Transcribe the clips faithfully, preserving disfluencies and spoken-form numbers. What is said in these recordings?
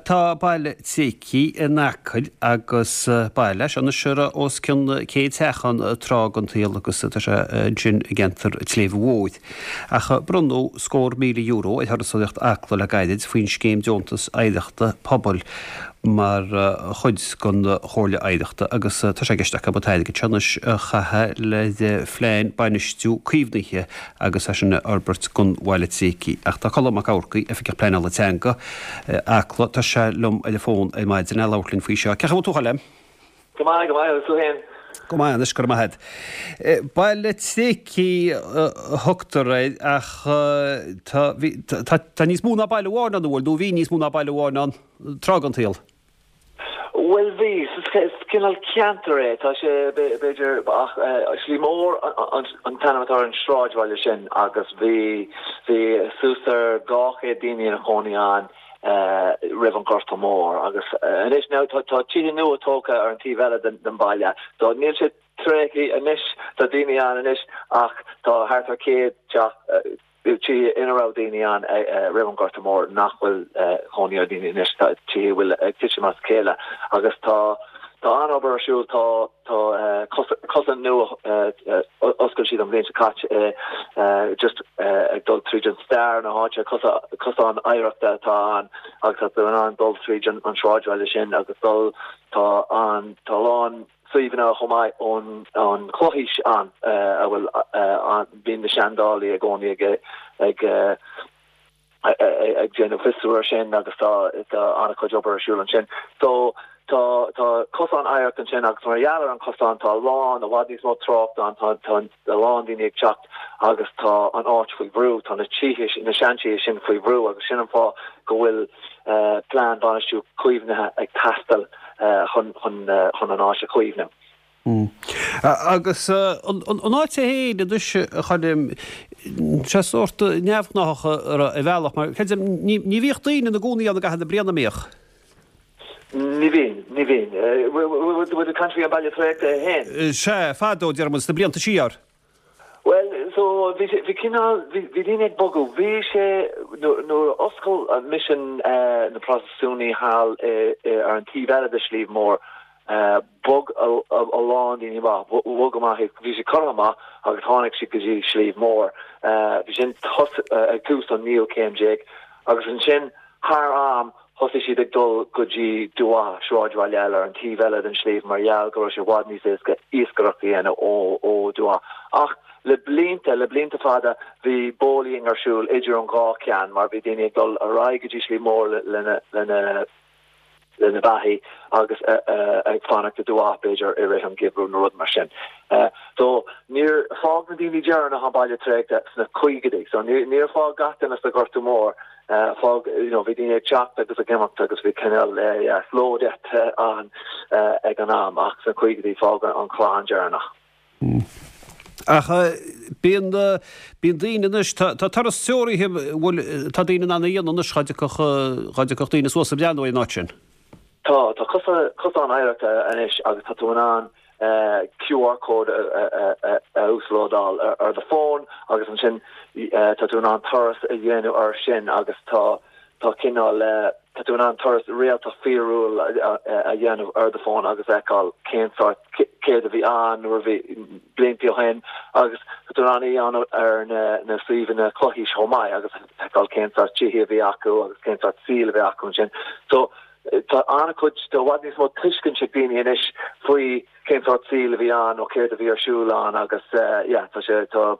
Tá baile tréigthe in Acaill agus baile é seo anois a raibh os cionn céad teach ann tráth den tsaol agus tá sé ansin i gceantar tSléibhe Mhóir. Ach bronnadh scór míle euro ar Thurasóireacht Acla le gairid faoin scéim deontas oidhreachta pobail mar chuid den Chomhairle Oidhreachta agus tá sé i gceist acu an t-airgead seo anois a chaitheamh le phlean bainistiú caomhnaithe agus é sin a fhorbairt don bhaile tréigthe. Ach tá Colm Mac Eachmharcaigh, Oifigeach Pleanála Teanga, Acla, tá sé liom ar an bhfón ar maidin le labhairt linn faoi seo. Cén chaoi a bhfuil tú, a Choilm? Go maith, go maith, agus tú féin? Go maith anois, go raibh maith agat. Baile tréigthe a thugtar air ach tá, bhí, tá, tá níos mó ná baile amháin ann, an bhfuil, nó bhí níos mó ná baile amháin ann tráth den tsaol? Bhuel bhí, is cineál ceantar é, tá sé b'fhéidir ach Sliabh Mór an t-ainm atá ar an sráidbhaile sin agus bhí bhí suas ar dhá chéad daoine ina chónaí ann roimh an Ghorta Mór agus anois now tá tá tithe nua tógtha ar an taobh eile den den baile so níl sé tréigthe anois, tá daoine ann anois ach tá thart ar céad teach tithe ina raibh daoine ann roimh an Ghorta Mór nach bhfuil cónaí ar daoine anois, tá tithe a bhfuil ag titim as a chéile agus tá tá an-obair ar siúl, tá tá cosán nua oscail siad an bhliain seo caite just ag dul tríd an stair na háite, cosán oidhreachta atá ann agus tá tú in ann dul tríd an sráidbhaile sin agus dul tá an tá a lán suíomhanna chomh maith ón an chlochaois ann a bhfuil bíonn na seandálaí i gcónaí ag ag ag déanamh fiosrú ar sin agus tá tá an-chuid obair ar siúl ansin. So tá tá cosán oidhreachta ansin agus mar gheall ar an cosán tá a lán i bhfad níos mó trácht ann tá tá a lán daoine ag teacht agus tá an áit faoi bhrú, tá na tithe na seantithe sin faoi bhrú agus sin an fáth go bhfuil plean bainistiú caomhnaithe ag teastáil chun chun chun an áit a chaomhnú. Agus an áit é féin anois, a Choilm, sé sórt neamhghnáthach ar bhealach, mar creidim, ní ní bhíodh daoine ina gcónaí ann i gcaitheamh na bliana, an mbíodh? Ní bhíonn, ní bhíonn. Bhfuil tú ag caint faoi an baile tréigthe é féin? Sea, fadó, déarfaidh muid, sna blianta siar. Bhuel, so, bhí sé, bhí cineál, bhí, bhí daoine ag bogadh. Bhí sé, nuair, nuair a oscail an misean na Protastúnaigh thall i, i, ar an taobh eile de Shliabh Mór, bhog a, a, a lán daoine amach, bhog amach, bhí sé curtha amach agus tháinig siad go dtí Sliabh Mór. Bhí sin tos, ag tús an naoú céim déag agus ansin thar am thosaigh siad ag dul go dtí Dumha, sráidbhaile eile ar an taobh eile den sliabh mar gheall go raibh sé i bhfad níos éasca iascaireacht a dhéanamh ó ó Dumha. Ach le blianta, le blianta fada, bhí booleying ar siúl idir an dhá cheann mar bhí daoine ag dul ar aghaidh go dtí Sliabh Mór lena lena lena beathaí agus ag fanacht i Dumha b'fhéidir i rith an gheimhridh nó rud mar sin. So níor fág na daoine deireanacha an baile tréigthe sna caogaidí. So níor fág gach duine sa Ghorta Mór fág you know bhí daoine ag teacht agus ag imeacht agus bhí cineál yeah slow death ann ag an am ach sna caogaidí fág an chlann deireanach. Ach bíonn bíonn daoine anois tá tá turas treoraithe bhfuil tá daoine in ann a dhéanamh anois dhá dtiocfadh dhá dtiocfadh daoine suas ag breathnú ar an áit sin. Tá tá cosa cosán oidhreachta anois agus tá tú in ann QR code a a uaslódáil ar do fón agus ansin tá tú in ann turas a dhéanamh ar sin agus tá tá cineál tá tú in ann turas réalta fíorúil a dhéanamh ar do fón agus feiceáil cén sórt céard a bhí ann nuair a bhí blianta ó shin agus tá tú in ann é a dhéanamh ar na na suíomhanna clochaois chomh maith agus feiceáil cén sórt tithe a bhí acu agus cén sórt saoil a bhí acu ansin. So tá an-chuid tá i bhfad níos mó tuiscint ag daoine anois faoi cén sórt saoil a bhí ann nó céard a bhí ar siúl ann agus yeah tá sé tá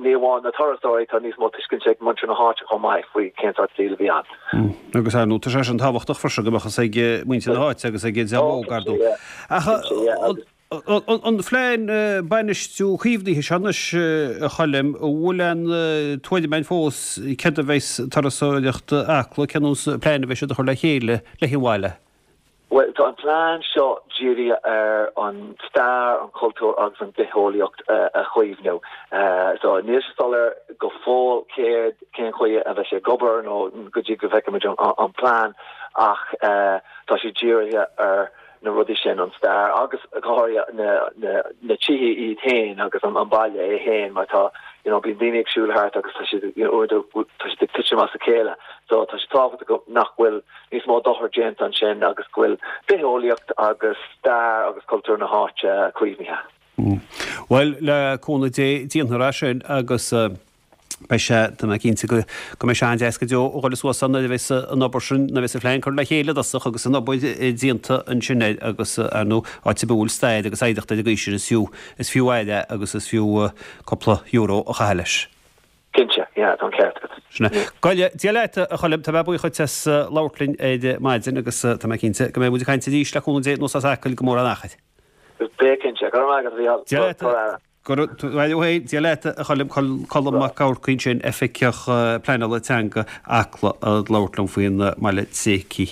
ní amháin na turasóirí tá níos mó tuiscint ag muintir na háite chomh maith faoi cén sórt saoil a bhí ann. Agus ar ndóigh tá sé sin tábhachtach freisin go mbeadh fhios ag muintir na háite agus ag an dream óg ar ndóigh. Ach an phlean bainistiú caomhnaithe seo anois a Choilm, an bhfuil aon tuairim againn fós céard a bheas Turasóireacht Acla, cén nós plean a bheidh siad a chur le chéile le an bhaile? Bhuel, tá an plean seo dírithe ar an stair, an cultúr agus an bitheolaíocht a chaomhnú. So níl sé soiléir go fóill céard cén chaoi a bheidh sé ag obair nó go dtí go bhfeicfimid an plean ach tá sé dírithe ar na rudaí sin an stair agus go háirithe na na na tithe iad féin agus an an baile é féin mar tá you know bíonn daoine ag siúl thart agus tá siad you know tá siad ag titim as a chéile so tá sé tábhachtach nach bhfuil níos mó dochar déanta ansin agus go bhfuil bitheolaíocht agus stair agus cultúr na háite caomhnaithe. Mm. Well le cúnamh Dé déanfar é sin agus uh, beidh sé tá mé cinnte go go mbeidh sé an-deas go deo a dhul suas ann nuair a bheas an obair sin nuair a bheas an phlean curtha le chéile i dtosach agus an obair déanta ansin air agus ar ndóigh áit a bhfuil stair agus oidhreacht ar an gcaoi sin is fiú is fiú aire agus is fiú cúpla euro a chaitheamh leis. Cinnte, yeah, tá an ceart agat. Sin é. Goile, Dia leat a Choilm, tá mé buíoch duit as labhairt linn ar maidin agus tá mé cinnte go mbeidh muid ag caint arís le cúnamh Dé nó as Acaill go mór an achar. Beidh cinnte, go raibh maith agat a Mhícheál. Dia leat. Go raibh Dia leat a Choilm Colm Mac Eamharcaigh ansin, Oifigeach Pleanála Teanga Acla ag labhairt liom faoin mbaile Tréicí.